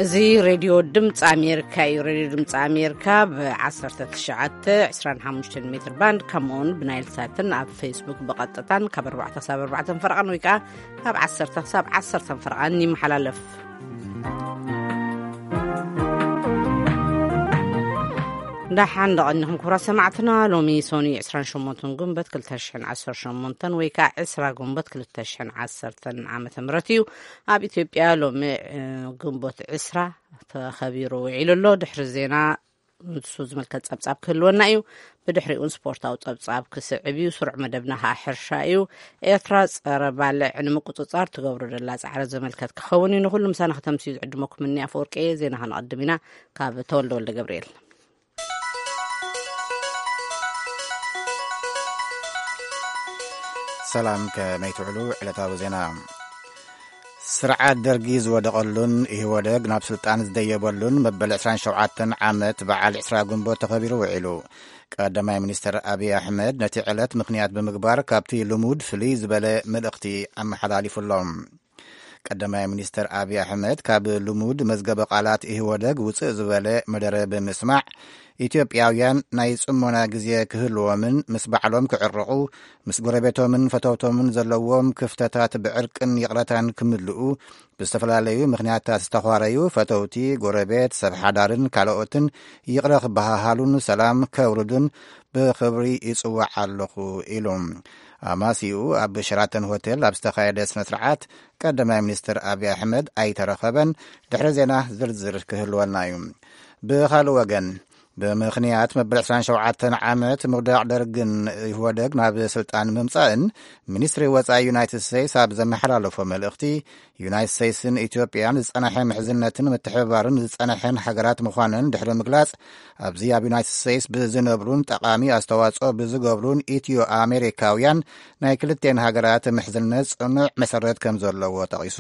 እዚ ሬድዮ ድምፂ ኣሜሪካ እዩ። ሬድዮ ድምፂ ኣሜሪካ ብ1925 ሜትር ባንድ፣ ከምኡውን ብናይል ሳትን ኣብ ፌስቡክ ብቐጥታን ካብ ኣርባዕተ ክሳብ ኣርባዕተ ፈረቓን ወይ ከዓ ካብ ዓሰርተ ክሳብ ዓሰርተ ፈረቓን ይመሓላለፍ። ደሓን ደቐኒኹም ክቡራት ሰማዕትና። ሎሚ ሶኒ 28 ግንቦት 2018 ወይ ከዓ 20 ግንቦት 2010 ዓመተ ምህረት እዩ። ኣብ ኢትዮጵያ ሎሚ፣ እ፣ ግንቦት 20 ተኸቢሩ ውዒሉ ኣሎ። ድሕሪ ዜና ንሱ ዝምልከት ጸብጻብ ክህልወና እዩ። ብድሕሪኡን ስፖርታዊ ጸብጻብ ክስዕብ እዩ። ስሩዕ መደብና ከዓ ሕርሻ እዩ። ኤርትራ ጸረ ባልዕ ንምቁጽጻር ትገብሮ ዘላ ጻዕሪ ዝምልከት ክኸውን እዩ። ንኹሉ ምሳና ከተምስዩ ዝዕድመኩም እኒ ኣፈወርቂ እየ። ዜና ከነቐድም ኢና። ካብ ተወልደ ወልደ ገብርኤል። ሰላም፣ ከመይ ትውዕሉ? ዕለታዊ ዜና። ስርዓት ደርጊ ዝወደቐሉን ኢህወደግ ናብ ስልጣን ዝደየበሉን መበል 27 ዓመት በዓል 20 ግንቦት ተኸቢሩ ውዒሉ። ቀዳማይ ሚኒስትር ኣብይ ኣሕመድ ነቲ ዕለት ምኽንያት ብምግባር ካብቲ ልሙድ ፍልይ ዝበለ መልእኽቲ ኣመሓላሊፉሎም። ቀዳማይ ሚኒስትር ኣብይ ኣሕመድ ካብ ልሙድ መዝገበ ቃላት ኢህወደግ ውፅእ ዝበለ መደረ ብምስማዕ፣ ኢትዮጵያውያን ናይ ጽሞና ግዜ ክህልዎምን ምስ ባዕሎም ክዕረቑ፣ ምስ ጎረቤቶምን ፈተውቶምን ዘለዎም ክፍተታት ብዕርቅን ይቕረታን ክምልኡ፣ ብዝተፈላለዩ ምኽንያታት ዝተዃረዩ ፈተውቲ፣ ጎረቤት፣ ሰብ ሓዳርን ካልኦትን ይቕረ ክበሃሃሉን ሰላም ከውርዱን ብኽብሪ ይጽዋዕ ኣለኹ ኢሉ። ኣማሲኡ ኣብ ሸራተን ሆቴል ኣብ ዝተኻየደ ስነ ስርዓት ቀዳማይ ሚኒስትር ኣብይ ኣሕመድ ኣይተረኸበን። ድሕሪ ዜና ዝርዝር ክህልወና እዩ። ብኻልእ ወገን፣ ብምኽንያት መበል 27 ዓመት ምውዳቕ ደርግን ኢህወደግ ናብ ስልጣን ምምጻእን፣ ሚኒስትሪ ወጻኢ ዩናይትድ ስቴትስ ኣብ ዘመሓላለፎ መልእኽቲ፣ ዩናይትድ ስቴትስን ኢትዮጵያን ዝጸንሐ ምሕዝነትን ምትሕብባርን ዝጸንሐን ሃገራት ምዃነን ድሕሪ ምግላጽ፣ ኣብዚ ኣብ ዩናይትድ ስቴትስ ብዝነብሩን ጠቓሚ ኣስተዋጽኦ ብዝገብሩን ኢትዮ ኣሜሪካውያን ናይ ክልቴን ሃገራት ምሕዝነት ጽኑዕ መሰረት ከም ዘለዎ ጠቒሱ።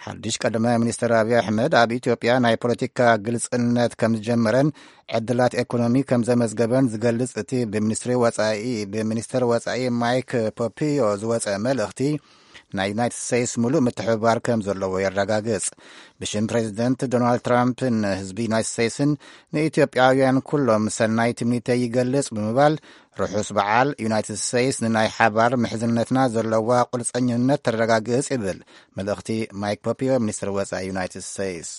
ሓድሽ ቀዳማይ ሚኒስትር ኣብይ ኣሕመድ ኣብ ኢትዮጵያ ናይ ፖለቲካ ግልጽነት ከም ዝጀመረን ዕድላት ኤኮኖሚ ከም ዘመዝገበን ዝገልጽ እቲ ብሚኒስትሪ ወጻኢ፣ ብሚኒስትር ወጻኢ ማይክ ፖምፒዮ ዝወጸ መልእኽቲ፣ ናይ ዩናይትድ ስቴትስ ሙሉእ ምትሕብባር ከም ዘለዎ የረጋግጽ። ብሽም ፕሬዚደንት ዶናልድ ትራምፕን ህዝቢ ዩናይትድ ስቴትስን ንኢትዮጵያውያን ኩሎም ሰናይ ትምኒተይ ይገልጽ ብምባል፣ ርሑስ በዓል። ዩናይትድ ስቴትስ ንናይ ሓባር ምሕዝነትና ዘለዋ ቁርጸኝነት ተረጋግጽ ይብል መልእኽቲ ማይክ ፖምፒዮ፣ ሚኒስትር ወጻኢ ዩናይትድ ስቴትስ።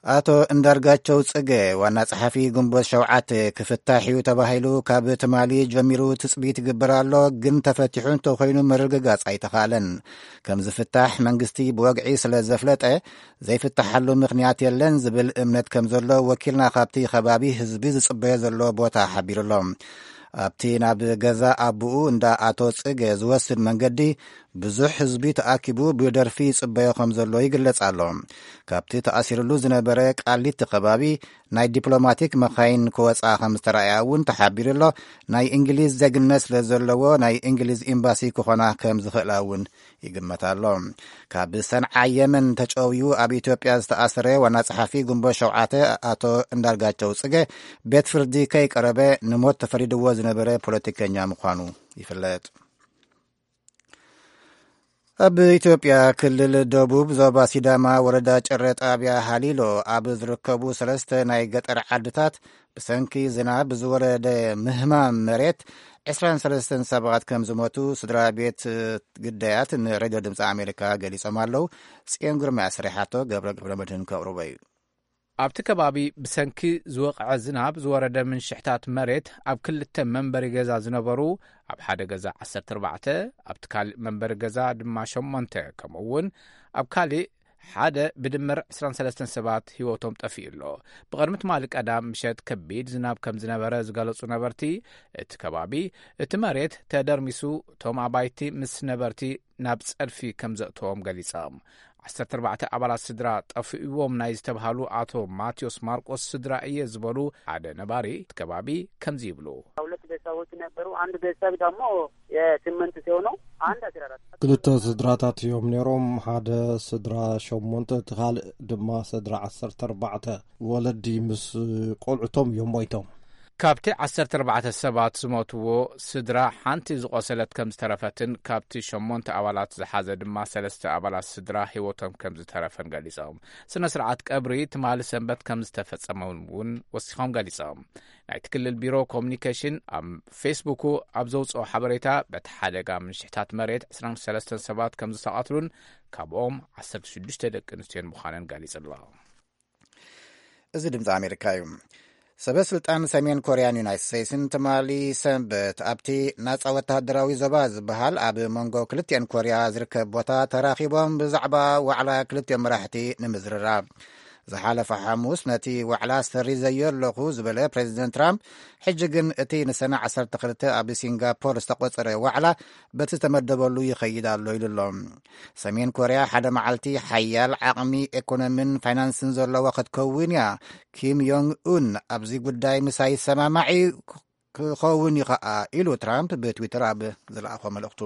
ኣቶ እንዳርጋቸው ጽገ፣ ዋና ጸሓፊ ግንቦት ሸውዓተ፣ ክፍታሕ እዩ ተባሂሉ ካብ ትማሊ ጀሚሩ ትጽቢት ይግበር ኣሎ፣ ግን ተፈቲሑ እንተኾይኑ ምርግጋጽ ኣይተኻእለን። ከም ዝፍታሕ መንግስቲ ብወግዒ ስለ ዘፍለጠ፣ ዘይፍታሓሉ ምኽንያት የለን ዝብል እምነት ከም ዘሎ ወኪልና ካብቲ ከባቢ ህዝቢ ዝጽበዮ ዘሎ ቦታ ሓቢሩ ኣሎ። ኣብቲ ናብ ገዛ ኣቦኡ እንዳ ኣቶ ጽገ ዝወስድ መንገዲ ብዙሕ ህዝቢ ተኣኪቡ ብደርፊ ይጽበዮ ከም ዘሎ ይግለጽ ኣሎ። ካብቲ ተኣሲርሉ ዝነበረ ቃሊቲ ከባቢ ናይ ዲፕሎማቲክ መኻይን ክወጻ ከም ዝተረኣያ እውን ተሓቢሩ ኣሎ። ናይ እንግሊዝ ዜግነት ስለ ዘለዎ ናይ እንግሊዝ ኤምባሲ ክኾና ከም ዝኽእላ እውን ይግመት ኣሎ። ካብ ሰንዓ የመን ተጨውዩ ኣብ ኢትዮጵያ ዝተኣሰረ ዋና ጸሓፊ ግንቦት ሸውዓተ ኣቶ እንዳርጋቸው ጽገ ቤት ፍርዲ ከይቀረበ ንሞት ተፈሪድዎ ዝነበረ ፖለቲከኛ ምዃኑ ይፍለጥ። ኣብ ኢትዮጵያ ክልል ደቡብ ዞባ ሲዳማ ወረዳ ጭረ ጣብያ ሃሊሎ ኣብ ዝርከቡ ሰለስተ ናይ ገጠር ዓድታት ብሰንኪ ዝናብ ዝወረደ ምህማም መሬት 23 ሰባት ከም ዝሞቱ ስድራ ቤት ግዳያት ንሬድዮ ድምፂ ኣሜሪካ ገሊጾም ኣለዉ። ጽዮን ግርማ ኣስሪሓቶ፣ ገብረ ገብረ መድህን ከቕርቦ እዩ። ኣብቲ ከባቢ ብሰንኪ ዝወቕዐ ዝናብ ዝወረደ ምንሽሕታት መሬት ኣብ ክልተ መንበሪ ገዛ ዝነበሩ፣ ኣብ ሓደ ገዛ 14፣ ኣብቲ ካልእ መንበሪ ገዛ ድማ ሸሞንተ፣ ከምኡ እውን ኣብ ካልእ ሓደ ብድምር 23 ሰባት ህይወቶም ጠፊኡ ኣሎ። ብቕድሚ ትማሊ ቀዳም ምሸት ከቢድ ዝናብ ከም ዝነበረ ዝገለጹ ነበርቲ እቲ ከባቢ፣ እቲ መሬት ተደርሚሱ እቶም ኣባይቲ ምስ ነበርቲ ናብ ጸድፊ ከም ዘእተዎም ገሊጾም። 14 ኣባላት ስድራ ጠፊእዎም ናይ ዝተብሃሉ ኣቶ ማቴዎስ ማርቆስ ስድራ እየ ዝበሉ ሓደ ነባሪ እቲ ከባቢ ከምዚ ይብሉ። ሁለት ቤተሰቦች ነበሩ። አንድ ቤተሰብ ደግሞ የስምንት ሲሆኑ አንድ 14። ክልተ ስድራታት እዮም ነይሮም። ሓደ ስድራ ሸሞንተ፣ እቲ ካልእ ድማ ስድራ 14፣ ወለዲ ምስ ቆልዑቶም እዮም ሞይቶም። ካብቲ ዓሰርተ ኣርባዕተ ሰባት ዝሞትዎ ስድራ ሓንቲ ዝቖሰለት ከም ዝተረፈትን ካብቲ ሸሞንተ ኣባላት ዝሓዘ ድማ ሰለስተ ኣባላት ስድራ ህይወቶም ከም ዝተረፈን ገሊጾም። ስነ ስርዓት ቀብሪ ትማሊ ሰንበት ከም ዝተፈጸመ እውን ወሲኾም ገሊጾም። ናይቲ ክልል ቢሮ ኮሙኒኬሽን ኣብ ፌስቡኩ ኣብ ዘውፅኦ ሓበሬታ፣ በቲ ሓደጋ ምንሽሕታት መሬት ዕስራን ሰለስተን ሰባት ከም ዝተቐትሉን ካብኦም ዓሰርተ ሽዱሽተ ደቂ ኣንስትዮን ምዃነን ገሊጹ ኣሎ። እዚ ድምፂ ኣሜሪካ እዩ። ሰበ ስልጣን ሰሜን ኮርያን ዩናይትድ ስቴትስን ትማሊ ሰንበት ኣብቲ ናፃ ወተሃደራዊ ዞባ ዝበሃል ኣብ መንጎ ክልቲአን ኮርያ ዝርከብ ቦታ ተራኺቦም ብዛዕባ ዋዕላ ክልቲኦም መራሕቲ ንምዝርራብ። ዝሓለፈ ሓሙስ ነቲ ዋዕላ ሰሪዘዮ ኣለኹ ዝበለ ፕሬዚደንት ትራምፕ፣ ሕጂ ግን እቲ ንሰነ ዓሰርተ ክልተ ኣብ ሲንጋፖር ዝተቖጸረ ዋዕላ በቲ ዝተመደበሉ ይኸይድ ኣሎ ኢሉ ኣሎ። ሰሜን ኮርያ ሓደ መዓልቲ ሓያል ዓቕሚ ኤኮኖሚን ፋይናንስን ዘለዋ ክትከውን እያ። ኪም ዮንግ ኡን ኣብዚ ጉዳይ ምሳይ ይሰማማዕ እዩ፣ ክኸውን እዩ ኸኣ ኢሉ ትራምፕ ብትዊተር ኣብ ዝለኣኾ መልእኽቱ።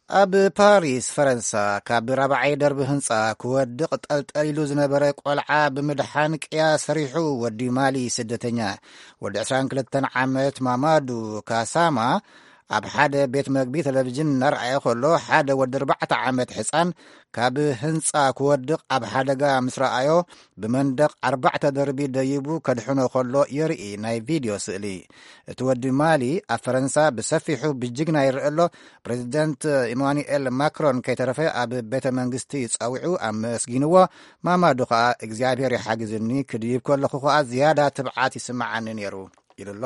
ኣብ ፓሪስ ፈረንሳ ካብ ራብዓይ ደርቢ ህንጻ ክወድቕ ጠልጠሊሉ ዝነበረ ቆልዓ ብምድሓን ቅያ ሰሪሑ። ወዲ ማሊ ስደተኛ ወዲ ዕስራን ክልተን ዓመት ማማዱ ካሳማ ኣብ ሓደ ቤት መግቢ ቴሌቪዥን እናረኣየ ከሎ ሓደ ወዲ ኣርባዕተ ዓመት ሕጻን ካብ ህንጻ ክወድቕ ኣብ ሓደጋ ምስ ረኣዮ ብመንደቕ ኣርባዕተ ደርቢ ደይቡ ከድሕኖ ከሎ የርኢ ናይ ቪድዮ ስእሊ። እቲ ወዲ ማሊ ኣብ ፈረንሳ ብሰፊሑ ብጅግና ይረአ ኣሎ። ፕሬዚደንት ኢማኑኤል ማክሮን ከይተረፈ ኣብ ቤተ መንግስቲ ጸዊዑ ኣመስጊንዎ። ማማዱ ከኣ እግዚኣብሔር ይሓግዝኒ፣ ክድይብ ከለኹ ከኣ ዝያዳ ትብዓት ይስምዓኒ ነይሩ ኢሉ ኣሎ።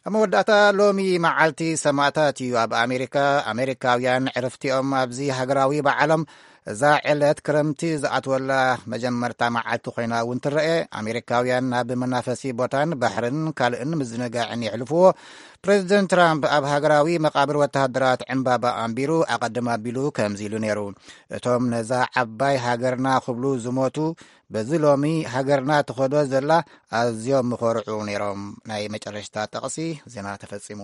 ኣብ መወዳእታ ሎሚ መዓልቲ ሰማእታት እዩ። ኣብ ኣሜሪካ ኣሜሪካውያን ዕርፍቲኦም ኣብዚ ሃገራዊ በዓሎም እዛ ዕለት ክረምቲ ዝኣትወላ መጀመርታ መዓልቲ ኮይና እውን ትረአ። ኣሜሪካውያን ናብ መናፈሲ ቦታን ባሕርን ካልእን ምዝንጋዕን የሕልፍዎ። ፕሬዚደንት ትራምፕ ኣብ ሃገራዊ መቓብር ወተሃደራት ዕምባባ ኣንቢሩ ኣቐድም ኣቢሉ ከምዚ ኢሉ ነይሩ። እቶም ነዛ ዓባይ ሃገርና ክብሉ ዝሞቱ በዚ ሎሚ ሃገርና ትኸዶ ዘላ ኣዝዮም ምኾርዑ ነይሮም። ናይ መጨረሽታ ጠቕሲ ዜና ተፈጺሙ።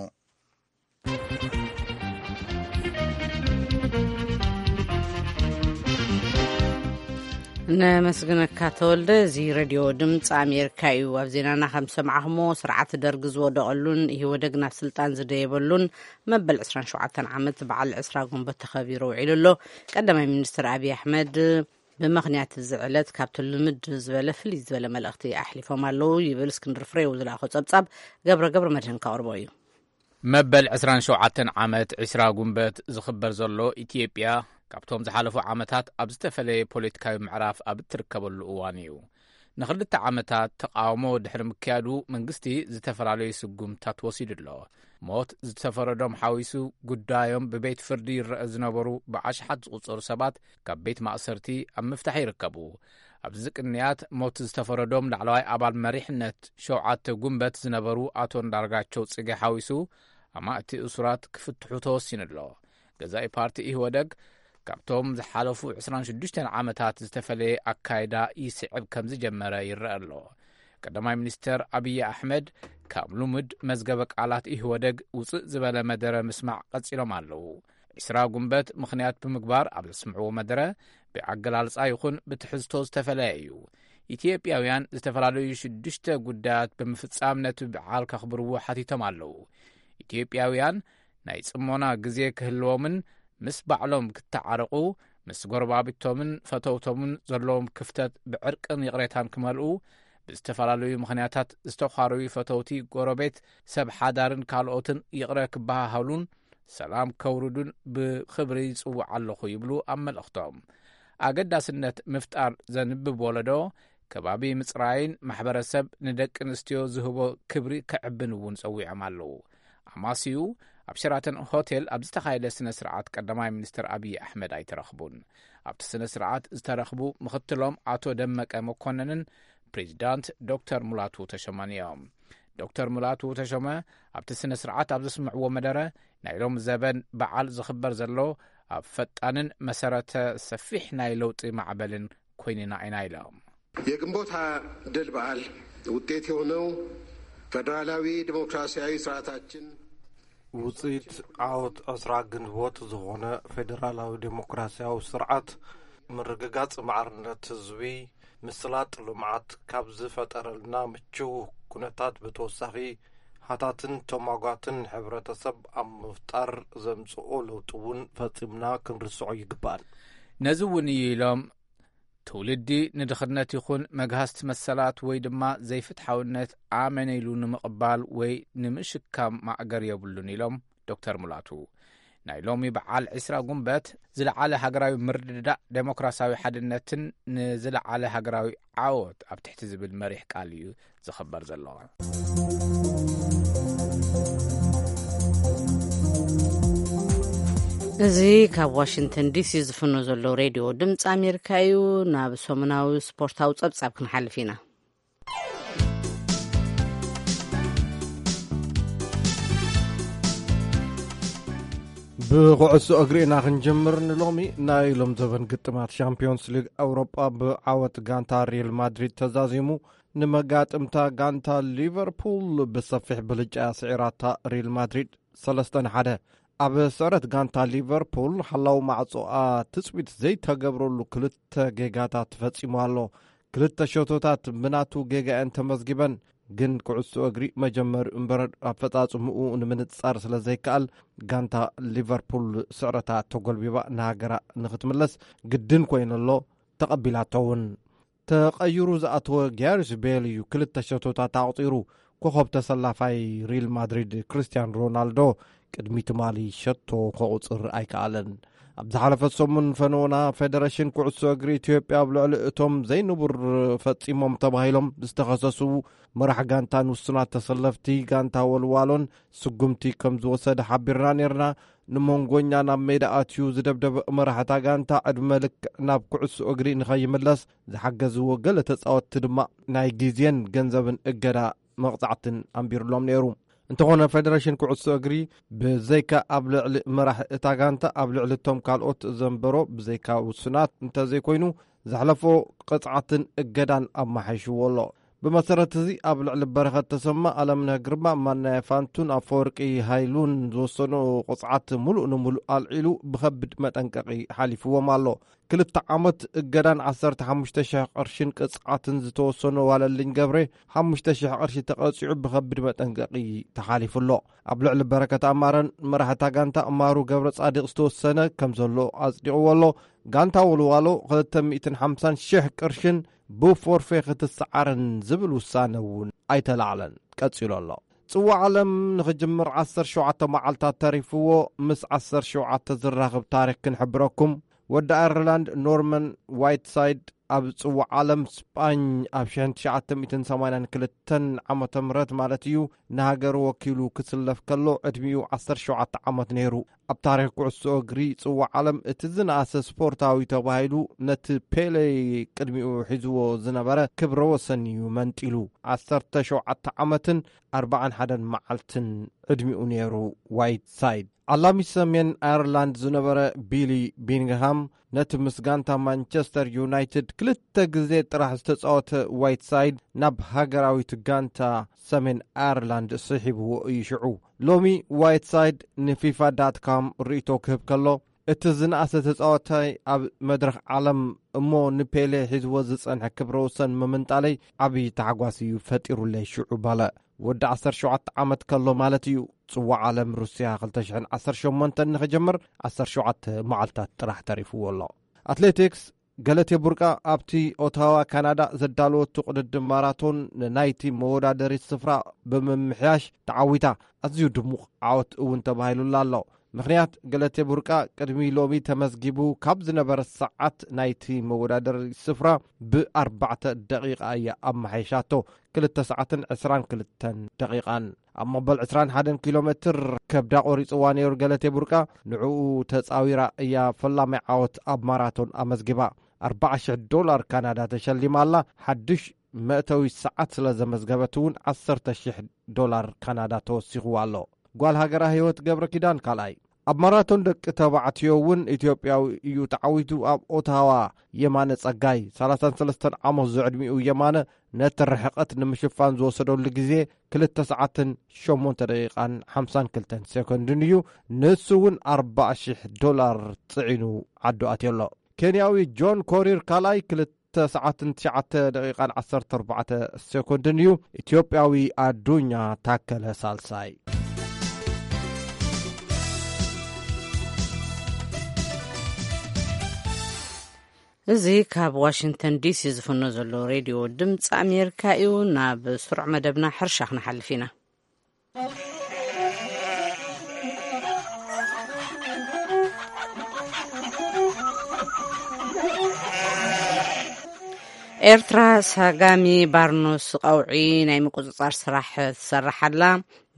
ነመስግነካ ተወልደ። እዚ ሬድዮ ድምፂ ኣሜሪካ እዩ። ኣብ ዜናና ከም ሰማዕኹሞ፣ ስርዓት ደርግ ዝወደቐሉን ኢህወደግ ናብ ስልጣን ዝደየበሉን መበል ዕስራን ሸውዓተን ዓመት በዓል ዕስራ ጉንበት ተኸቢሩ ውዒሉ ኣሎ። ቀዳማይ ሚኒስትር ኣብይ ኣሕመድ ብምኽንያት እዚ ዕለት ካብቲ ልምድ ዝበለ ፍልይ ዝበለ መልእኽቲ ኣሕሊፎም ኣለዉ ይብል እስክንድር ፍሬው ዝለኣኾ ጸብጻብ። ገብረ ገብረ መድህን ከቕርቦ እዩ። መበል ዕስራን ሸውዓተን ዓመት ዕስራ ጉንበት ዝኽበር ዘሎ ኢትዮጵያ፣ ካብቶም ዝሓለፉ ዓመታት ኣብ ዝተፈለየ ፖለቲካዊ ምዕራፍ ኣብ እትርከበሉ እዋን እዩ። ንኽልተ ዓመታት ተቓውሞ ድሕሪ ምክያዱ፣ መንግስቲ ዝተፈላለዩ ስጉምታት ወሲዱ ኣሎ። ሞት ዝተፈረዶም ሓዊሱ፣ ጉዳዮም ብቤት ፍርዲ ይረአ ዝነበሩ ብኣሽሓት ዝቑጸሩ ሰባት ካብ ቤት ማእሰርቲ ኣብ ምፍታሕ ይርከቡ። ኣብዚ ቅንያት፣ ሞት ዝተፈረዶም ላዕለዋይ ኣባል መሪሕነት ሸውዓተ ጉንበት ዝነበሩ ኣቶ እንዳርጋቸው ጽጌ ሓዊሱ፣ ኣማእቲ እሱራት ክፍትሑ ተወሲኑ ኣሎ። ገዛኢ ፓርቲ ኢህወደግ ካብቶም ዝሓለፉ ዕስራን ሽዱሽተን ዓመታት ዝተፈለየ ኣካይዳ ይስዕብ ከም ዝጀመረ ይረአ ኣሎ። ቀዳማይ ሚኒስተር ኣብይ ኣሕመድ ካብ ልሙድ መዝገበ ቃላት ኢህወደግ ውፅእ ዝበለ መደረ ምስማዕ ቀጺሎም ኣለዉ። ዕስራ ጉንበት ምኽንያት ብምግባር ኣብ ዘስምዕዎ መደረ፣ ብኣገላልጻ ይኹን ብትሕዝቶ ዝተፈለየ እዩ። ኢትዮጵያውያን ዝተፈላለዩ ሽዱሽተ ጉዳያት ብምፍጻም ነቲ በዓል ከኽብርዎ ሓቲቶም ኣለዉ። ኢትዮጵያውያን ናይ ጽሞና ግዜ ክህልዎምን ምስ ባዕሎም ክተዓረቑ፣ ምስ ጎረባብቶምን ፈተውቶምን ዘለዎም ክፍተት ብዕርቅን ይቕሬታን ክመልኡ፣ ብዝተፈላለዩ ምኽንያታት ዝተዃረዩ ፈተውቲ ጎረቤት፣ ሰብ ሓዳርን ካልኦትን ይቕረ ክበሃሃሉን ሰላም ከውርዱን ብኽብሪ ይጽውዕ ኣለኹ ይብሉ ኣብ መልእኽቶም። ኣገዳስነት ምፍጣር ዘንብብ ወለዶ፣ ከባቢ ምጽራይን ማሕበረሰብ ንደቂ ኣንስትዮ ዝህቦ ክብሪ ከዕብን እውን ጸዊዖም ኣለዉ። ኣማስዩ ኣብ ሸራተን ሆቴል ኣብ ዝተኻየደ ስነ ስርዓት ቀዳማይ ሚኒስትር ኣብይ ኣሕመድ ኣይተረኽቡን። ኣብቲ ስነ ስርዓት ዝተረኽቡ ምኽትሎም ኣቶ ደመቀ መኮንንን ፕሬዚዳንት ዶክተር ሙላቱ ተሾመን እዮም። ዶክተር ሙላቱ ተሾመ ኣብቲ ስነ ስርዓት ኣብ ዘስምዕዎ መደረ፣ ናይ ሎም ዘበን በዓል ዝኽበር ዘሎ ኣብ ፈጣንን መሰረተ ሰፊሕ ናይ ለውጢ ማዕበልን ኮይንና ኢና ኢሎም። የግንቦት ሃያ ድል በዓል ውጤት የሆነው ፌዴራላዊ ዲሞክራሲያዊ ስርዓታችን ውፅኢት ዓወት ዕስራ ግንቦት ዝኾነ ፌዴራላዊ ዴሞክራሲያዊ ስርዓት ምርግጋፅ ማዕርነት ህዝቢ፣ ምስላጥ ልምዓት ካብ ዝፈጠረልና ምችው ኩነታት ብተወሳኺ ሃታትን ተሟጓትን ሕብረተሰብ ኣብ ምፍጣር ዘምጽኦ ለውጢ እውን ፈጺምና ክንርስዖ ይግባእ። ነዚ እውን እዩ ኢሎም፣ ትውልዲ ንድኽነት ይኹን መግሃስቲ መሰላት ወይ ድማ ዘይፍትሓውነት ኣመን ኢሉ ንምቕባል ወይ ንምሽካም ማእገር የብሉን ኢሎም ዶክተር ሙላቱ። ናይ ሎሚ በዓል ዕስራ ጉንበት ዝለዓለ ሃገራዊ ምርድዳእ፣ ዴሞክራሲያዊ ሓድነትን ንዝለዓለ ሃገራዊ ዓወት ኣብ ትሕቲ ዝብል መሪሕ ቃል እዩ ዝኽበር ዘሎ። እዚ ካብ ዋሽንግተን ዲሲ ዝፍኖ ዘሎ ሬድዮ ድምፂ ኣሜሪካ እዩ። ናብ ሰሙናዊ ስፖርታዊ ጸብጻብ ክንሓልፍ ኢና። ብኩዕሶ እግሪ ኢና ክንጅምር። ንሎሚ ናይ ሎም ዘበን ግጥማት ሻምፒዮንስ ሊግ ኣውሮጳ ብዓወት ጋንታ ሪል ማድሪድ ተዛዚሙ፣ ንመጋጥምታ ጋንታ ሊቨርፑል ብሰፊሕ ብልጫ ስዒራታ። ሪል ማድሪድ ሰለስተ ንሓደ። ኣብ ስዕረት ጋንታ ሊቨርፑል ሓላው ማዕጾኣ ትጽቢት ዘይተገብረሉ ክልተ ጌጋታት ተፈጺሙ ኣሎ። ክልተ ሸቶታት ብናቱ ጌጋ እየን ተመዝጊበን፣ ግን ኩዕሶ እግሪ መጀመሪ እምበር ኣፈጻጽምኡ ንምንጻር ስለ ዘይከኣል፣ ጋንታ ሊቨርፑል ስዕረታ ተጎልቢባ ንሃገራ ንኽትምለስ ግድን ኮይኑሎ፣ ተቐቢላቶ እውን። ተቐይሩ ዝኣተወ ጋሪስ ቤል እዩ ክልተ ሸቶታት ኣቑጺሩ። ኮኸብ ተሰላፋይ ሪል ማድሪድ ክርስቲያን ሮናልዶ ቅድሚ ትማሊ ሸቶ ከቑጽር ኣይከኣለን። ኣብ ዝሓለፈት ሰሙን ፈነወና ፌደሬሽን ኩዕሶ እግሪ ኢትዮጵያ ኣብ ልዕሊ እቶም ዘይንቡር ፈጺሞም ተባሂሎም ዝተኸሰሱ መራሕ ጋንታን ውሱናት ተሰለፍቲ ጋንታ ወልዋሎን ስጉምቲ ከም ዝወሰደ ሓቢርና ነርና። ንመንጎኛ ናብ ሜዳ ኣትዩ ዝደብደበ መራሕታ ጋንታ ዕድመ ልክዕ ናብ ኩዕሶ እግሪ ንኸይምለስ ዝሓገዝዎ ገለ ተጻወትቲ ድማ ናይ ግዜን ገንዘብን እገዳ መቕጻዕትን ኣንቢሩሎም ነይሩ። እንተኾነ ፌደሬሽን ኩዕሶ እግሪ ብዘይካ ኣብ ልዕሊ መራሒ እታ ጋንታ ኣብ ልዕሊ እቶም ካልኦት ዘንበሮ ብዘይካ ውሱናት እንተዘይኮይኑ ዘሕለፎ ቅጽዓትን እገዳን ኣመሓይሽዎ ኣሎ። ብመሰረት እዚ ኣብ ልዕሊ በረኸት ተሰማ፣ ኣለምነህ ግርማ፣ ማናየ ፋንቱን ኣፈወርቂ ሃይሉን ዝወሰኖ ቅጽዓት ሙሉእ ንሙሉእ ኣልዒሉ ብኸቢድ መጠንቀቒ ሓሊፍዎም ኣሎ። ክልተ ዓመት እገዳን ዓሰርተ ሓሙሽተ ሽሕ ቅርሽን ቅጽዓትን ዝተወሰኖ ዋለልኝ ገብሬ ሓሙሽተ ሽሕ ቅርሺ ተቐጺዑ ብኸቢድ መጠንቀቒ ተሓሊፉ ኣሎ። ኣብ ልዕሊ በረከት ኣማረን መራሕታ ጋንታ ማሩ ገብረ ጻዲቕ ዝተወሰነ ከም ዘሎ ኣጽዲቕዎ ኣሎ። ጋንታ ወልዋሎ ክልተ ሚእትን ሓምሳን ሽሕ ቅርሽን ብፎርፌ ክትሰዓርን ዝብል ውሳነ እውን ኣይተላዕለን። ቀጺሉ ኣሎ። ጽዋዕ ዓለም ንኽጅምር ዓሰርተ ሸውዓተ መዓልታት ተሪፍዎ። ምስ ዓሰርተ ሸውዓተ ዝራኽብ ታሪኽ ክንሕብረኩም። ወዲ ኣየርላንድ ኖርመን ዋይትሳይድ ኣብ ጽዋዕ ዓለም ስጳኝ ኣብ ሽሕን ትሽዓተ ሚእትን ሰማንያን ክልተን ዓመተ ምህረት ማለት እዩ፣ ንሃገሩ ወኪሉ ክስለፍ ከሎ ዕድሚኡ ዓሰርተ ሸውዓተ ዓመት ነይሩ። ኣብ ታሪኽ ኩዕሶ እግሪ ጽዋዕ ዓለም እቲ ዝነኣሰ ስፖርታዊ ተባሂሉ ነቲ ፔሌ ቅድሚኡ ሒዝዎ ዝነበረ ክብረ ወሰን እዩ መንጢሉ። ዓሰርተ ሸውዓተ ዓመትን ኣርባዓን ሓደን መዓልትን ዕድሚኡ ነይሩ ዋይትሳይድ። ዓላሚ ሰሜን ኣየርላንድ ዝነበረ ቢሊ ቢንግሃም ነቲ ምስ ጋንታ ማንቸስተር ዩናይትድ ክልተ ግዜ ጥራሕ ዝተጻወተ ዋይትሳይድ ናብ ሃገራዊት ጋንታ ሰሜን ኣየርላንድ ስሒብዎ እዩ። ሽዑ ሎሚ ዋይትሳይድ ንፊፋ ዳት ካም ርእይቶ ክህብ ከሎ፣ እቲ ዝነኣሰ ተጻዋታይ ኣብ መድረኽ ዓለም እሞ ንፔሌ ሒዝዎ ዝጸንሐ ክብረ ወሰን ምምንጣለይ ዓብዪ ታሕጓስ እዩ ፈጢሩለይ ሽዑ በለ። ወዲ ዓሰርተ ሸውዓተ ዓመት ከሎ ማለት እዩ። ጽዋዕ ዓለም ሩስያ ክልተ ሽሕን ዓሰርተ ሸሞንተን ንኽጅምር ዓሰርተ ሸውዓተ መዓልታት ጥራሕ ተሪፍዎ ኣሎ። ኣትሌቲክስ፣ ገለቴ ቡርቃ ኣብቲ ኦታዋ ካናዳ ዘዳለወቱ ቅድድም ማራቶን ንናይቲ መወዳደሪት ስፍራ ብምምሕያሽ ተዓዊታ። ኣዝዩ ድሙቕ ዓወት እውን ተባሂሉላ ኣሎ። ምኽንያት፣ ገለቴ ቡርቃ ቅድሚ ሎሚ ተመዝጊቡ ካብ ዝነበረ ሰዓት ናይቲ መወዳደሪ ስፍራ ብኣርባዕተ ደቂቓ እያ ኣመሓይሻቶ። ክልተ ሰዓትን ዕስራን ክልተን ደቂቓን። ኣብ መበል ዕስራን ሓደን ኪሎ ሜትር ከብዳ ቆሪጽዋ ነይሩ ገለቴ ቡርቃ። ንዕኡ ተጻዊራ እያ ፈላማይ ዓወት ኣብ ማራቶን ኣመዝጊባ። ኣርባዓ ሽሕ ዶላር ካናዳ ተሸሊማ ኣላ። ሓድሽ መእተዊ ሰዓት ስለ ዘመዝገበት እውን ዓሰርተ ሽሕ ዶላር ካናዳ ተወሲኽዋ ኣሎ። ጓል ሃገራ ህይወት ገብረ ኪዳን ካልኣይ። ኣብ ማራቶን ደቂ ተባዕትዮ እውን ኢትዮጵያዊ እዩ ተዓዊቱ። ኣብ ኦታዋ የማነ ጸጋይ፣ ሰላሳን ሰለስተን ዓመት ዝዕድሚኡ የማነ፣ ነቲ ርሕቐት ንምሽፋን ዝወሰደሉ ግዜ ክልተ ሰዓትን ሸሞንተ ደቂቓን ሓምሳን ክልተን ሴኮንድን እዩ። ንሱ እውን ኣርባዓ ሽሕ ዶላር ጽዒኑ ዓዱ ኣትዮ ኣሎ። ኬንያዊ ጆን ኮሪር ካልኣይ፣ ክልተ ሰዓትን ትሽዓተ ደቂቓን ዓሰርተ ኣርባዕተ ሴኮንድን እዩ። ኢትዮጵያዊ ኣዱኛ ታከለ ሳልሳይ። እዚ ካብ ዋሽንግተን ዲሲ ዝፍኖ ዘሎ ሬድዮ ድምፂ ኣሜሪካ እዩ። ናብ ስሩዕ መደብና ሕርሻ ክንሓልፍ ኢና። ኤርትራ ሳጋሚ ባርኖስ ቀውዒ ናይ ምቁጽጻር ስራሕ ትሰርሕ ኣላ።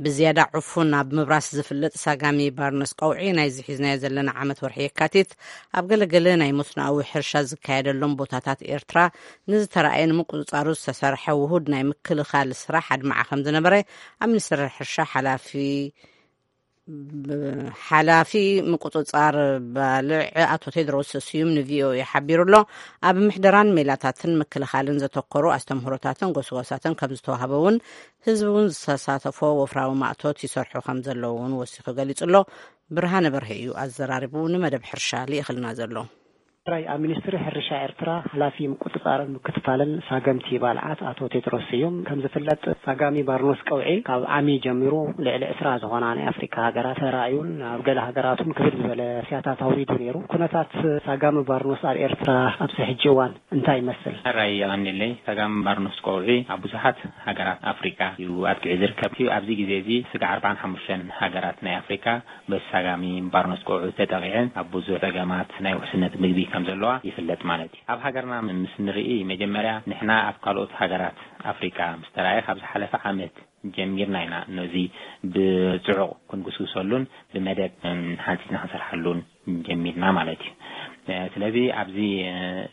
ብዝያዳ ዕፉን ኣብ ምብራስ ዝፍለጥ ሳጋሚ ባርኖስ ቀውዒ ናይዚ ሒዝናዮ ዘለና ዓመት ወርሒ የካቲት ኣብ ገለገለ ናይ መስኖኣዊ ሕርሻ ዝካየደሎም ቦታታት ኤርትራ ንዝተራእየ ንምቁጽጻሩ ዝተሰርሐ ውሁድ ናይ ምክልኻል ስራሕ ኣድማዓ ከም ዝነበረ ኣብ ሚኒስትሪ ሕርሻ ሓላፊ ሓላፊ ምቁጽጻር ባልዕ ኣቶ ቴድሮስ ስዩም ንቪኦኤ ሓቢሩ ኣሎ። ኣብ ምሕደራን ሜላታትን ምክልኻልን ዘተኮሩ ኣስተምህሮታትን ጎስጓሳትን ከም ዝተዋህበ እውን ህዝቢ እውን ዝተሳተፎ ወፍራዊ ማእቶት ይሰርሑ ከም ዘለዉ እውን ወሲኹ ገሊጹ ኣሎ። ብርሃነ በርሀ እዩ ኣዘራሪቡ ንመደብ ሕርሻ ልኢኽልና ዘሎ። ትራይ ኣብ ሚኒስትሪ ሕርሻ ኤርትራ ሓላፊ ምቁጽጻርን ምክትታልን ሳገምቲ ባልዓት ኣቶ ቴድሮስ ስዩም ከም ዝፍለጥ ሳጋሚ ባርኖስ ቀውዒ ካብ ዓሚ ጀሚሩ ልዕሊ ዕስራ ዝኾና ናይ ኣፍሪካ ሃገራት ተራእዩን ኣብ ገለ ሃገራት እውን ክብድ ዝበለ ስያታት ኣውሪዱ ነይሩ። ኩነታት ሳጋሚ ባርኖስ ኣብ ኤርትራ ኣብዚ ሕጂ እዋን እንታይ ይመስል? ሕራይ የቐንየለይ። ሳጋሚ ባርኖስ ቀውዒ ኣብ ብዙሓት ሃገራት ኣፍሪካ እዩ ኣጥቂዑ ዝርከብ። ኣብዚ ግዜ እዚ ስጋዕ ኣርባዓን ሓሙሽተን ሃገራት ናይ ኣፍሪካ በሳጋሚ ባርኖስ ቆዑ ተጠቒዐን ኣብ ብዙሕ ጸገማት ናይ ውሕስነት ምግቢ ከም ዘለዋ ይፍለጥ ማለት እዩ። ኣብ ሃገርና ምስ ንርኢ መጀመርያ ንሕና ኣብ ካልኦት ሃገራት ኣፍሪካ ምስ ተራእየ ካብ ዝሓለፈ ዓመት ጀሚርና ኢና ነዚ ብጽዑቕ ክንጉስጉሰሉን ብመደብ ሓንጺጽና ክንሰርሓሉን ጀሚርና ማለት እዩ። ስለዚ ኣብዚ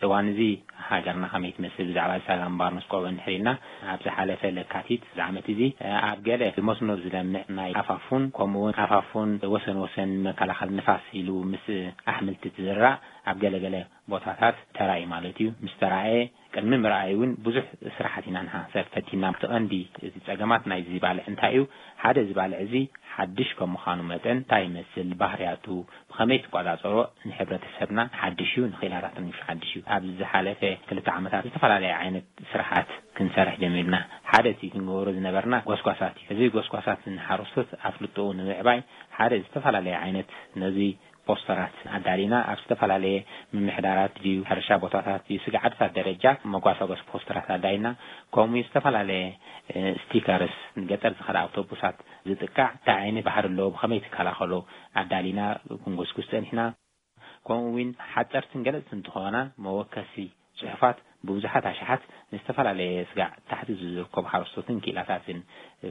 እዋን እዚ ሃገርና ከመይ ትመስል ብዛዕባ ሳጋሚ ባርኖስ ቆዑ እንድሕር ኢልና ኣብ ዝሓለፈ ለካቲት ዝዓመት እዚ ኣብ ገለ ብመስኖ ዝለምዕ ናይ ኣፋፉን ከምኡ እውን ኣፋፉን ወሰን ወሰን መከላኸል ንፋስ ኢሉ ምስ ኣሕምልቲ ትዝራእ ኣብ ገለ ገለ ቦታታት ተራእዩ ማለት እዩ። ምስ ተራእየ ቅድሚ ምርኣይ እውን ብዙሕ ስራሓት ኢና ንሓሰብ ፈቲና። እቲ ቀንዲ እቲ ጸገማት ናይዚ ባልዕ እንታይ እዩ? ሓደ እዚ ባልዕ እዚ ሓድሽ ከም ምዃኑ መጠን እንታይ ይመስል ባህርያቱ ብኸመይ ትቆጻጸሮ ንሕብረተሰብና ሓድሽ እዩ፣ ንኽኢላታትን ሓድሽ እዩ። ኣብ ዝሓለፈ ክልተ ዓመታት ዝተፈላለየ ዓይነት ስራሓት ክንሰርሕ ጀሚርና። ሓደ እቲ ክንገብሮ ዝነበርና ጎስጓሳት እዩ። እዚ ጎስጓሳት ንሓረስቶት ኣፍልጦኡ ንምዕባይ ሓደ ዝተፈላለየ ዓይነት ነዚ ፖስተራት ኣዳሊና ኣብ ዝተፈላለየ ምምሕዳራት ድዩ ሕርሻ ቦታታት ድዩ ስግዓትታት ደረጃ መጓሳጎስ ፖስተራት ኣዳሊና ከምኡ ዝተፈላለየ ስቲከርስ ንገጠር ዝኸዳ ኣውቶቡሳት ዝጥቃዕ እንታይ ዓይነት ባህሪ ኣለዎ ብኸመይ ትከላኸሎ ኣዳሊና ክንጎስጉስ ጸኒሕና። ከምኡ እውን ሓፀርትን ገለፅትን እንትኾና መወከሲ ፅሑፋት ብብዙሓት ኣሽሓት ንዝተፈላለየ ስጋዕ ታሕቲ ዝርከቡ ሓረስቶትን ክኢላታትን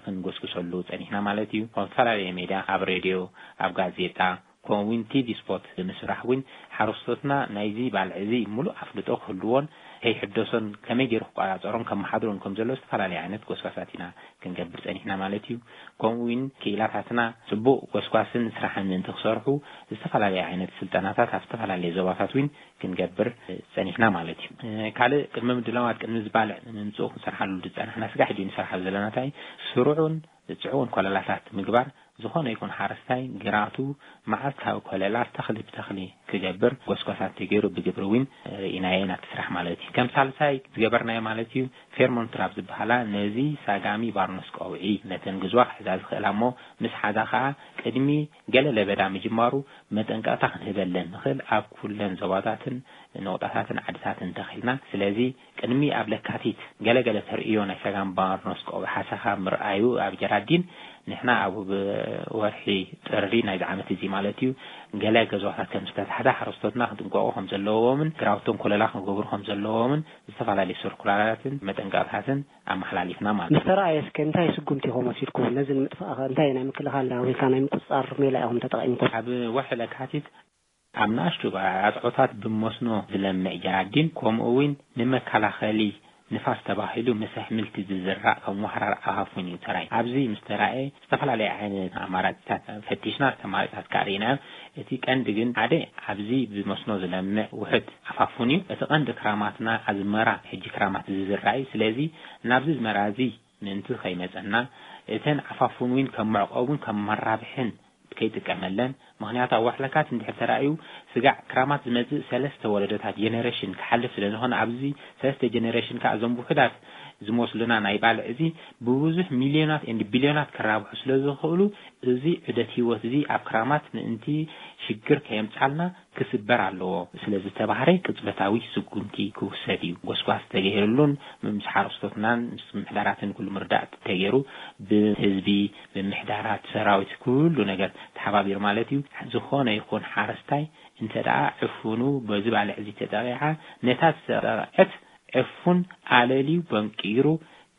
ክንጎስጉሰሉ ፀኒሕና ማለት እዩ። ኣብ ዝተፈላለየ ሜድያ ኣብ ሬድዮ ኣብ ጋዜጣ ከምኡ እውን ቲቪ ስፖርት ብምስራሕ እውን ሓረስቶትና ናይዚ ባልዕ እዚ ሙሉእ ኣፍልጦ ክህልዎን ከይሕደሶን ከመይ ገይሩ ክቆፃፀሮን ከመሓድሮን ከም ዘሎ ዝተፈላለየ ዓይነት ጎስጓሳት ኢና ክንገብር ፀኒሕና ማለት እዩ። ከምኡ እውን ክኢላታትና ፅቡቅ ጎስጓስን ስራሕን ምእንቲ ክሰርሑ ዝተፈላለየ ዓይነት ስልጠናታት ኣብ ዝተፈላለየ ዞባታት እውን ክንገብር ፀኒሕና ማለት እዩ። ካልእ ቅድሚ ምድላዋት ቅድሚ ዝባልዕ ንምምፅኡ ክንሰርሓሉ ዝፀናሕና ስጋሕ ድዩ ንሰርሓሉ ዘለና እንታይ ስሩዑን ፅዑውን ኮለላታት ምግባር ዝኾነ ይኹን ሓረስታይ ግራቱ መዓልታዊ ኮለላ ተኽሊ ብተኽሊ ክገብር ጎስጓሳት ተገይሩ ብግብሪ እውን ርኢናዮ ናብቲ ስራሕ ማለት እዩ። ከም ሳልሳይ ዝገበርናዮ ማለት እዩ ፌርሞንትራብ ዝበሃላ ነዚ ሳጋሚ ባርኖስ ቀውዒ ነተን ግዝዋ ክሕዛ ዝኽእላ እሞ ምስ ሓዛ ከዓ ቅድሚ ገለ ለበዳ ምጅማሩ መጠንቀቕታ ክንህበለን ንኽእል ኣብ ኩለን ዞባታትን ነቑጣታትን ዓድታትን ተኺልና። ስለዚ ቅድሚ ኣብ ለካቲት ገለገለ ተርእዮ ናይ ሰጋን ባርኖስ ቆቢ ሓሰኻ ምርኣዩ ኣብ ጀራዲን ንሕና ኣብ ወርሒ ጥሪ ናይዚ ዓመት እዚ ማለት እዩ ገለ ገዛታት ከም ዝተታሕዛ ሓረስቶትና ክጥንቀቑ ከም ዘለዎምን ግራውቶም ኮለላ ክገብሩ ከም ዘለዎምን ዝተፈላለዩ ስርኩላራትን መጠንቀቕታትን ኣመሓላሊፍና ማለት እዩ። ምስ ተረኣየ እስከ እንታይ ስጉምቲ ኢኹም ወሲድኩም? ነዚ ንምጥፋእ እንታይ ናይ ምክልኻል ወይ ከዓ ናይ ምቁፅፃር ሜላ ኢኹም ተጠቒምኩም? ኣብ ወርሒ ለካቲት ኣብ ንኣሽቱ ኣፅዖታት ብመስኖ ዝለምዕ ጀራዲን ከምኡ እውን ንመከላኸሊ ንፋስ ተባሂሉ ምስ ኣሕምልቲ ዝዝራእ ከም ዋህራር ኣፋፉን እዩ ተራይ። ኣብዚ ምስ ተራእየ ዝተፈላለየ ዓይነት ኣማራፂታት ፈቲሽና ተማሪፅታት ከዓ ርኢናዮ። እቲ ቀንዲ ግን ሓደ ኣብዚ ብመስኖ ዝለምዕ ውሕድ ኣፋፉን እዩ። እቲ ቀንዲ ክራማትና ኣዝመራ ሕጂ ክራማት ዝዝራእ እዩ። ስለዚ ናብዚ ዝመራ እዚ ምእንቲ ከይመፀና እተን ኣፋፉን እውን ከም መዕቆቡን ከም መራብሕን ይጥቀመለን። ምኽንያቱ ኣብ ዋሕለካት እንድሕር ተራእዩ ስጋዕ ክራማት ዝመጽእ ሰለስተ ወለዶታት ጀነሬሽን ክሓልፍ ስለ ዝኾነ ኣብዚ ሰለስተ ጀነሬሽን ከዓ እዞም ውሑዳት ዝመስሉና ናይ ባልዕ እዚ ብብዙሕ ሚልዮናት ኤንድ ቢልዮናት ክራብሑ ስለ ዝኽእሉ እዚ ዑደት ህይወት እዚ ኣብ ክራማት ምእንቲ ሽግር ከየምጻልና ክስበር ኣለዎ ስለ ዝተባህረ ቅጽበታዊ ስጉምቲ ክውሰድ እዩ። ጎስጓስ ተገይርሉን ምስ ሓረስቶትናን ምስ ምሕዳራትን ኩሉ ምርዳእ ተገይሩ ብህዝቢ ብምሕዳራት ሰራዊት ኩሉ ነገር ተሓባቢሩ ማለት እዩ። ዝኾነ ይኹን ሓረስታይ እንተ ደኣ ዕፉኑ በዚ ባልዕ እዚ ተጠቂዓ ነታ ዝተጠቕዐት ዕፉን ኣለልዩ በንቂሩ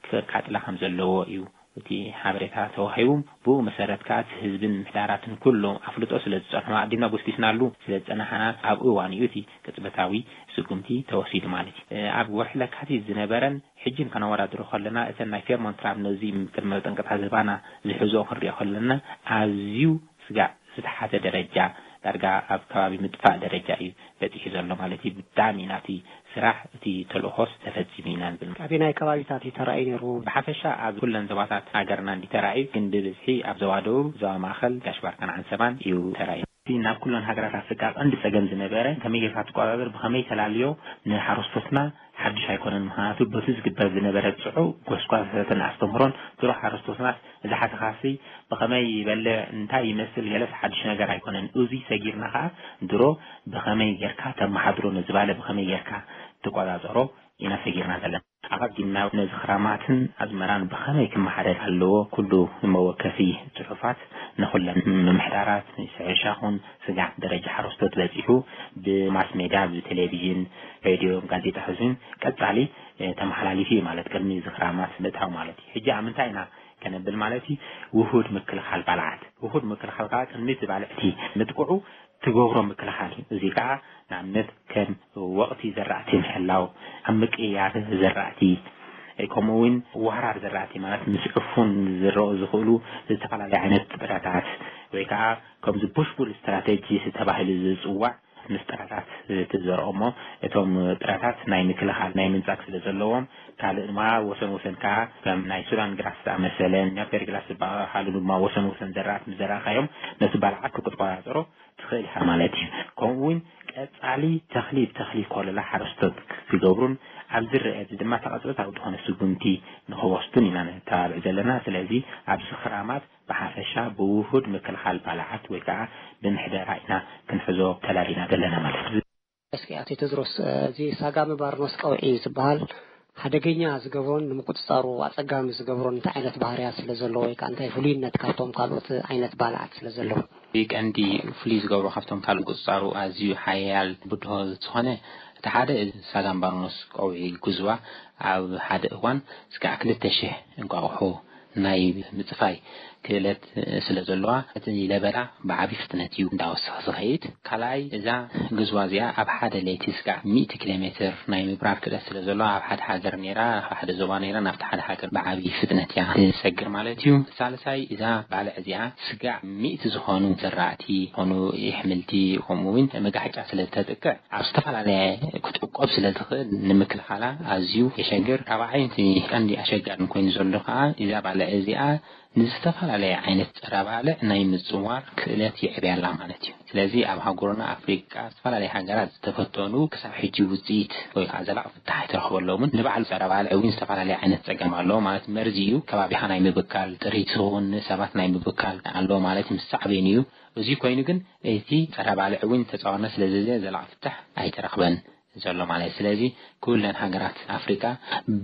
ከቃጥላ ከም ዘለዎ እዩ እቲ ሓበሬታ ተዋሂቡ። ብኡ መሰረት ከኣ እቲ ህዝብን ምሕዳራትን ኩሎም ኣፍልጦ ስለ ዝጸንሑ ኣዲና ጎስጊስናሉ ስለ ዝጸናሕና ኣብ እዋን እዩ እቲ ቅጽበታዊ ስጉምቲ ተወሲዱ ማለት እዩ። ኣብ ወርሒ ለካቲት ዝነበረን ሕጂ ከነወዳድሮ ከለና እተን ናይ ፌርሞንት ትራብ ነዚ ቅድመ ጠንቅታት ዝባና ዝሕዝኦ ክንሪኦ ከለና ኣዝዩ ስጋዕ ዝተሓተ ደረጃ ዳርጋ ኣብ ከባቢ ምጥፋእ ደረጃ እዩ በፂሑ ዘሎ ማለት እዩ። ብጣዕሚ ናቲ ስራሕ እቲ ተልእኾስ ተፈፂሙ ኢና ንብል። ኣበየናይ ከባቢታት እዩ ተራእዩ ነይሩ? ብሓፈሻ ኣብ ኩለን ዞባታት ሃገርና እንዲ ተራእዩ፣ ግን ብብዝሒ ኣብ ዞባ ደቡብ፣ ዞባ ማእኸል፣ ጋሽ ባርካን ዓንሰባን እዩ ተራእዩ። እቲ ናብ ኩለን ሃገራት ኣፍሪቃ ቀንዲ ጸገም ዝነበረ ከመይ ጌርካ ትቆጻጸር፣ ብኸመይ ተላልዮ ንሓረስቶትና ሓድሽ ኣይኮነን። ምኽንያቱ በቲ ዝግበር ዝነበረ ጽዑቕ ጎስጓሳትን ኣስተምህሮን ድሮ ሓረስቶትናስ እዚ ሓሰኻሲ ብኸመይ ይበልዕ፣ እንታይ ይመስል፣ ገለስ ሓድሽ ነገር ኣይኮነን። እዚ ሰጊርና ኸኣ ድሮ ብኸመይ ጌርካ ተመሓድሮ፣ ነዚ ባለ ብኸመይ ጌርካ ትቆጻጸሮ ኢና ሰጊርና ዘለና። ኣቐዲምና ነዚ ክራማትን ኣዝመራን ብኸመይ ክመሓደር ኣለዎ፣ ኩሉ መወከሲ ጽሑፋት ንኹለን ምምሕዳራት፣ ሕርሻ ኹን ስጋዕ ደረጃ ሓረስቶት በጺሑ ብማስ ሜድያ፣ ብቴሌቪዥን፣ ሬድዮ፣ ጋዜጣ ሕዙን ቀጻሊ፣ እ፣ ተመሓላሊፉ እዩ ማለት ቅድሚ እዚ ክራማት ምእታው ማለት እዩ። ሕጂ ኣብ ምንታይ ኢና ከነብል ማለት እዩ? ውሁድ ምክልኻል ባልዓት። ውሁድ ምክልኻል ከዓ ቅድሚ እቲ ባልዕ እቲ ምጥቅዑ ትገብሮ ምክልኻል እዩ። እዚ ከዓ ንኣብነት ከም ወቕቲ ዘራእቲ ምሕላው፣ ኣብ ምቅይያር ዘራእቲ፣ ከምኡ እውን ዋህራር ዘራእቲ ማለት ምስ ዕፉን ዝረኡ ዝኽእሉ ዝተፈላለዩ ዓይነት ጥረታት ወይ ከዓ ከምዚ ቡሽቡል ስትራቴጂ ተባሂሉ ዝፅዋዕ ምስ ጥረታት ትዘርኦ እሞ እቶም ጥረታት ናይ ምክልኻል ናይ ምንጻግ ስለ ዘለዎም ካልእ ድማ ወሰን ወሰን ከዓ ከም ናይ ሱዳን ግራስ ዝኣመሰለ ኛፔር ግራስ ዝበሃሉ ድማ ወሰን ወሰን ዘራእቲ ምስ ዘራእካዮም ነቲ ባልዓት ክትቆጻጸሮ ትኽእል ኢኻ ማለት እዩ። ከምኡ እውን ቀጻሊ ተኽሊ ብተኽሊ ኮለላ ሓረስቶት ክገብሩን ኣብ ዝረአ እዚ ድማ ተቐጽበታዊ ዝኾነ ስጉምቲ ንኽወስዱን ኢና ነተባብዕ ዘለና። ስለዚ ኣብዚ ክራማት ብሓፈሻ ብውሁድ ምክልኻል ባልዓት ወይ ከዓ ብምሕደራ ኢና ክንሕዞ ተላሊና ዘለና ማለት እዩ። እስኪ ኣቶ ቴድሮስ፣ እዚ ሳጋሚ ባርኖስ ቀውዒ ዝበሃል ሓደገኛ ዝገብሮን ንምቁጽጻሩ ኣጸጋሚ ዝገብሮን እንታይ ዓይነት ባህርያት ስለ ዘለዎ ወይ ከዓ እንታይ ፍሉይነት ካብቶም ካልኦት ዓይነት ባልዓት ስለ ዘለዎ? እቲ ቀንዲ ፍሉይ ዝገብሮ ካብቶም ካልእ ቁጽጻሩ ኣዝዩ ሓያል ብድሆ ዝኾነ እቲ ሓደ እዚ ሳጋሚ ባርኖስ ቀውዒ ጉዝባ ኣብ ሓደ እዋን ስጋዕ ክልተ ሽሕ እንቋቑሖ ናይ ምጽፋይ ክእለት ስለ ዘለዋ እቲ ለበዳ ብዓቢ ፍጥነት እዩ እንዳወሰኸ ዝኸይድ። ካልኣይ እዛ ግዝዋ እዚኣ ኣብ ሓደ ለይቲ ስጋዕ ሚእቲ ኪሎ ሜትር ናይ ምብራር ክእለት ስለ ዘለዋ ኣብ ሓደ ሃገር ነይራ፣ ኣብ ሓደ ዞባ ነይራ ናብቲ ሓደ ሃገር ብዓቢ ፍጥነት እያ ትሰግር ማለት እዩ። ሳልሳይ እዛ ባልዕ እዚኣ ስጋዕ ሚእቲ ዝኾኑ ዘራእቲ፣ ዝኾኑ የሕምልቲ፣ ከምኡ እውን መጋሕጫ ስለ ተጥቅዕ ኣብ ዝተፈላለየ ክትዕቆብ ስለ ትኽእል ንምክልኻላ ኣዝዩ የሸግር። ራብዓይ እቲ ቀንዲ ኣሸጋሪ ኮይኑ ዘሎ ከዓ እዛ ባልዕ እዚኣ ንዝተፈላለየ ዓይነት ጸረ ባልዕ ናይ ምጽዋር ክእለት የዕብያ ኣላ ማለት እዩ። ስለዚ ኣብ ሃገርና ኣፍሪቃ ዝተፈላለየ ሃገራት ዝተፈተኑ ክሳብ ሕጂ ውጽኢት ወይ ከዓ ዘላቂ ፍታሕ ኣይተረኽበሎምን። ንባዕሉ ጸረ ባልዕ እውን ዝተፈላለየ ዓይነት ጸገም ኣለዎ ማለት መርዚ እዩ። ከባቢኻ ናይ ምብካል፣ ጥሪት እውን ሰባት ናይ ምብካል ኣለዎ ማለት ምስ ሳዕቤን እዩ። እዚ ኮይኑ ግን እቲ ጸረ ባልዕ እውን ተጻዋርነት ስለ ዘዘ ዘላቂ ፍታሕ ኣይተረኽበን ዘሎ ማለት እዩ። ስለዚ ኩለን ሃገራት ኣፍሪቃ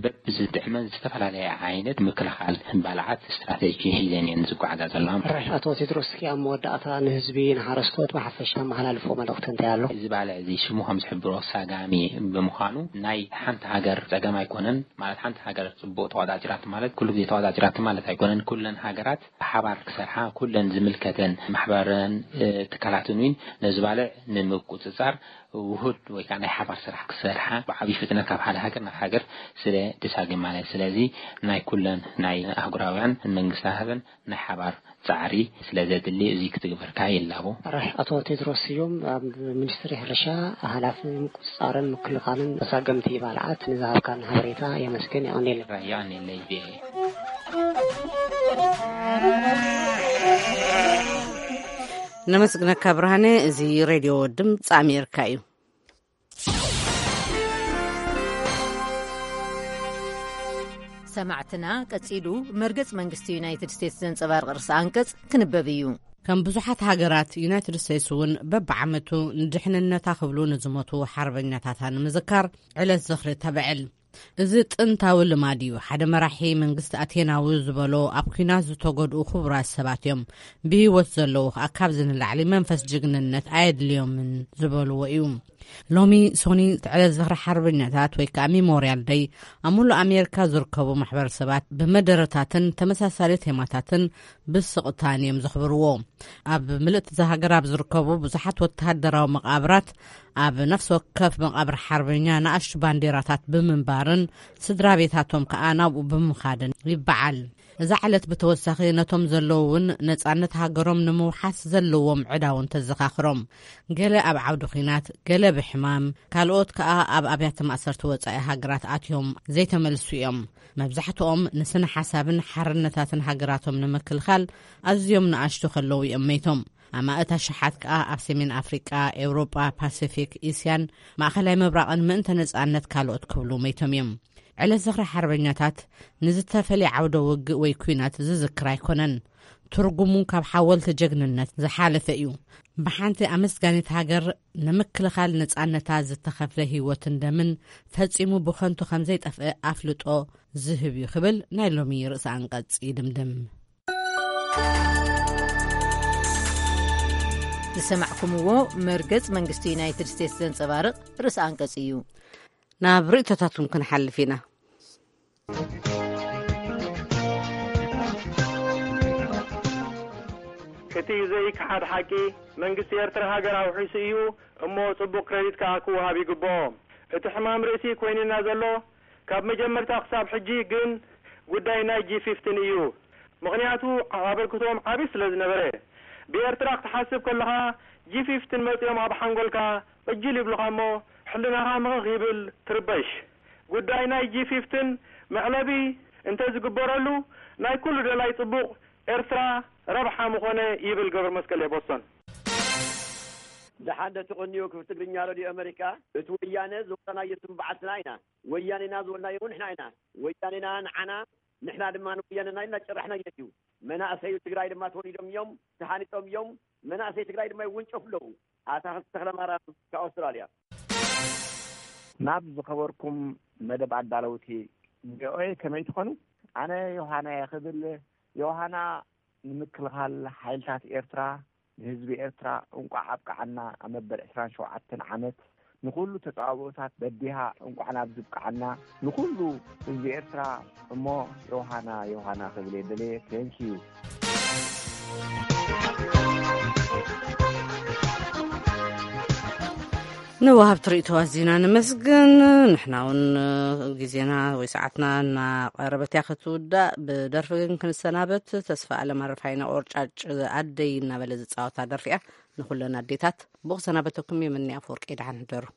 በብዝጥዕመን ዝተፈላለየ ዓይነት ምክልኻል ባልዓት ስትራቴጂ ሒዘን እየን ዝጓዓዛ ዘለዋ። ራሽ ኣቶ ቴድሮስ፣ እስኪ ኣብ መወዳእታ ንህዝቢ ንሓረስቶት ብሓፈሻ መሓላልፎ መልእኽቲ እንታይ ኣሎ? እዚ ባልዕ እዚ ሽሙ ከም ዝሕብሮ ሳጋሚ ብምዃኑ ናይ ሓንቲ ሃገር ጸገም ኣይኮነን። ማለት ሓንቲ ሃገር ጽቡቕ ተቋጻጺራት ማለት ኩሉ ግዜ ተቋጻጺራት ማለት ኣይኮነን። ኩለን ሃገራት ብሓባር ክሰርሓ፣ ኩለን ዝምልከተን ማሕበረን፣ እ፣ ትካላትን እውን ነዚ ባልዕ ንምቁጽጻር ውሁድ ወይ ከዓ ናይ ሓባር ስራሕ ክሰርሓ ብዓብዪ ፍጥነት ካብ ሓደ ሃገር ናብ ሃገር ስለ ድሳግም ማለት። ስለዚ ናይ ኩለን ናይ ኣህጉራውያን መንግስታትን ናይ ሓባር ጻዕሪ ስለ ዘድሊ እዚ ክትግበርካ ይላቦ። ራሽ ኣቶ ቴድሮስ ስዩም ኣብ ሚኒስትሪ ሕርሻ ሓላፊ ምቁጽጻርን ምክልኻልን ተሳገምቲ ባልዓት ንዝሃብካን ሓበሬታ የመስግን። የቐንየለይ። ራያ ኔለይ ቪኦኤ። ነመስግነካ ብርሃነ። እዚ ሬድዮ ድምፂ ኣሜሪካ እዩ። ሰማዕትና፣ ቀጺሉ መርገጽ መንግስቲ ዩናይትድ ስቴትስ ዘንጸባርቕ ርእሰ ኣንቀጽ ክንበብ እዩ። ከም ብዙሓት ሃገራት፣ ዩናይትድ ስቴትስ እውን በብዓመቱ ንድሕንነታ ክብሉ ንዝሞቱ ሓርበኛታታ ንምዝካር ዕለት ዝኽሪ ተብዕል። እዚ ጥንታዊ ልማድ እዩ። ሓደ መራሒ መንግስቲ ኣቴናዊ ዝበሎ፣ ኣብ ኲናት ዝተጎድኡ ክቡራት ሰባት እዮም፣ ብህይወት ዘለዉ ከኣ ካብዚ ንላዕሊ መንፈስ ጅግንነት ኣየድልዮምን ዝበልዎ እዩ። ሎሚ ሶኒ ዕለት ዝኽሪ ሓርበኛታት ወይ ከኣ ሜሞርያል ደይ ኣብ ሙሉእ ኣሜሪካ ዝርከቡ ማሕበረሰባት ብመደረታትን ተመሳሳሊ ቴማታትን ብስቕታን እዮም ዘኽብርዎ። ኣብ ምልእቲ እዛ ሃገር ኣብ ዝርከቡ ብዙሓት ወተሃደራዊ መቓብራት ኣብ ነፍሲ ወከፍ መቓብር ሓርበኛ ንኣሽቱ ባንዴራታት ብምንባርን ስድራ ቤታቶም ከኣ ናብኡ ብምኻድን ይበዓል። እዛ ዕለት ብተወሳኺ ነቶም ዘለዉ እውን ነጻነት ሃገሮም ንምውሓስ ዘለዎም ዕዳ እውን ተዘኻኽሮም። ገለ ኣብ ዓውዲ ኲናት፣ ገለ ብሕማም፣ ካልኦት ከኣ ኣብ ኣብያተ ማእሰርቲ ወጻኢ ሃገራት ኣትዮም ዘይተመልሱ እዮም። መብዛሕትኦም ንስነ ሓሳብን ሓርነታትን ሃገራቶም ንምክልኻል ኣዝዮም ንኣሽቱ ከለዉ እዮም መይቶም። ኣማእት ኣሽሓት ከኣ ኣብ ሰሜን ኣፍሪቃ፣ ኤውሮጳ፣ ፓሲፊክ፣ እስያን ማእከላይ ምብራቕን ምእንተ ነጻነት ካልኦት ክብሉ መይቶም እዮም። ዕለት ዝኽሪ ሓርበኛታት ንዝተፈልየ ዓውደ ውግእ ወይ ኲናት ዝዝክር ኣይኮነን። ትርጉሙ ካብ ሓወልቲ ጀግንነት ዝሓለፈ እዩ። ብሓንቲ ኣመስጋኒት ሃገር ንምክልኻል ነጻነታ ዝተኸፍለ ህይወትን ደምን ፈጺሙ ብኸንቱ ከም ዘይጠፍእ ኣፍልጦ ዝህብ እዩ ክብል ናይ ሎሚ ርእሰ ኣንቀጽ ይድምድም። ዝሰማዕኩምዎ መርገጽ መንግስቲ ዩናይትድ ስቴትስ ዘንጸባርቕ ርእሰ ኣንቀጽ እዩ። ናብ ርእይቶታትኩም ክንሓልፍ ኢና። እቲ ዘይከሓድ ሓቂ፣ መንግስቲ ኤርትራ ሃገር ኣውሒሱ እዩ እሞ፣ ጽቡቕ ክረዲት ከኣ ክወሃብ ይግብኦ። እቲ ሕማም ርእሲ ኮይኑና ዘሎ ካብ መጀመርታ ክሳብ ሕጂ ግን ጉዳይ ናይ ጂ ፊፍቲን እዩ። ምኽንያቱ ኣበርክቶኦም ዓቢ ስለ ዝነበረ። ብኤርትራ ክትሓስብ ከለኻ፣ ጂ ፊፍቲን መጺኦም ኣብ ሓንጎልካ ዕጅል ይብሉኻ እሞ፣ ሕልናኻ ምኽኽ ይብል፣ ትርበሽ። ጉዳይ ናይ ጂ ፊፍቲን መዕለቢ እንተ ዝግበረሉ፣ ናይ ኩሉ ደላይ ጽቡቕ ኤርትራ ረብሓ ምኾነ ይብል ገብረ መስቀል ቦስቶን። ደሓን ዶ ትቕንዩ ክብ ትግርኛ ሬድዮ ኣመሪካ? እቲ ወያነ ዝወረናዮ ስም በዓልትና ኢና። ወያኔና ዝበልናዮ እውን ንሕና ኢና። ወያኔና ንዓና፣ ንሕና ድማ ንወያኔና ኢልና ጭራሕናዮ እዩ። መናእሰዩ ትግራይ ድማ ተወሊዶም እዮም፣ ተሃኒጦም እዮም። መናእሰይ ትግራይ ድማ ይውንጨፉ ኣለዉ። ኣታኽልቲ ተኽለማርያም ካብ ኣውስትራልያ። ናብ ዝኸበርኩም መደብ ኣዳለውቲ ቪኦኤ ከመይ ትኾኑ? ኣነ ዮሃና እየ ክብል። ዮሃና ንምክልኻል ሓይልታት ኤርትራ፣ ንህዝቢ ኤርትራ እንቋዕ ኣብቅዓና። ኣብ መበል ዕስራን ሸውዓተን ዓመት ንኹሉ ተጻብኦታት በዲሃ እንቋዕ ናብ ዝብቅዓና። ንኹሉ ህዝቢ ኤርትራ እሞ ዮሃና፣ ዮሃና ክብል እየ ደልየ። Thank you። ንወሃብቲ ርእይቶ ኣዚና ነመስግን። ንሕና እውን ግዜና ወይ ሰዓትና እናቐረበት እያ ክትውዳእ። ብደርፊ ግን ክንሰናበት፣ ተስፋ ኣለም ኣረፋይና ቆርጫጭ ኣደይ እናበለ ዝጻወታ ደርፊ እያ። ንኹለን ኣዴታት ብኽሰናበተኩም የምኒ ኣፈወርቂ። ደሓን ሕደሩ።